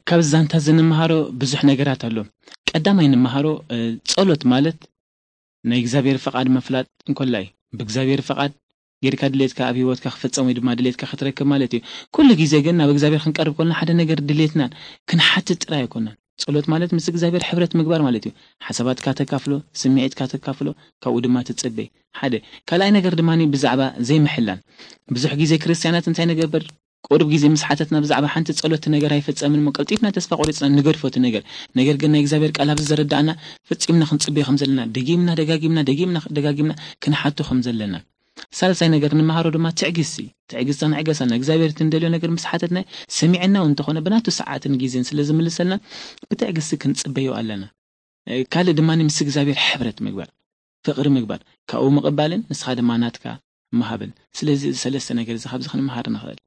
ካብ ዛንታ ዝንመሃሮ ብዙሕ ነገራት ኣሎ። ቀዳማይ ንምሃሮ ጸሎት ማለት ናይ እግዚኣብሔር ፍቓድ ምፍላጥ እንኮላ እዩ። ብእግዚኣብሔር ፍቓድ ጌርካ ድሌትካ ኣብ ህይወትካ ክፍጸም ወይ ድማ ድሌትካ ክትረክብ ማለት እዩ። ኩሉ ግዜ ግን ናብ እግዚኣብሔር ክንቀርብ ከለና ሓደ ነገር ድሌትናን ክንሓትት ጥራይ ኣይኮነን። ጸሎት ማለት ምስ እግዚኣብሔር ሕብረት ምግባር ማለት እዩ። ሓሳባትካ ተካፍሎ፣ ስምዒትካ ተካፍሎ፣ ካብኡ ድማ ትጽበይ። ሓደ ካልኣይ ነገር ድማ ብዛዕባ ዘይምሕላን። ብዙሕ ግዜ ክርስትያናት እንታይ ንገብር? ቁሩብ ግዜ ምስ ሓተትና ብዛዕባ ሓንቲ ጸሎት ነገር ኣይፈጸምን እሞ ቀልጢፍና ተስፋ ቆሪጽና ንገድፎ እቲ ነገር። ነገር ግን ናይ እግዚኣብሔር ቃል ኣብዚ ዘረዳእና ፈጺምና ክንጽበዮ ከም ዘለና ደጊምና ደጋጊምና ደጊምና ደጋጊምና ክንሓቶ ከም ዘለና። ሳልሳይ ነገር ንምሃሮ ድማ ትዕግስቲ። ትዕግስቲ ንዕገሰና። እግዚኣብሔር እቲ እንደልዮ ነገር ምስ ሓተትና ሰሚዕና እውን እንተኾነ ብናቱ ሰዓትን ግዜን ስለ ዝምልሰልና ብትዕግስቲ ክንጽበዮ ኣለና። ካልእ ድማ ምስ እግዚኣብሔር ሕብረት ምግባር፣ ፍቕሪ ምግባር፣ ካብኡ ምቕባልን ንስኻ ድማ ናትካ ምሃብን። ስለዚ እዚ ሰለስተ ነገር እዚ ካብዚ ክንምሃር ንኽእል።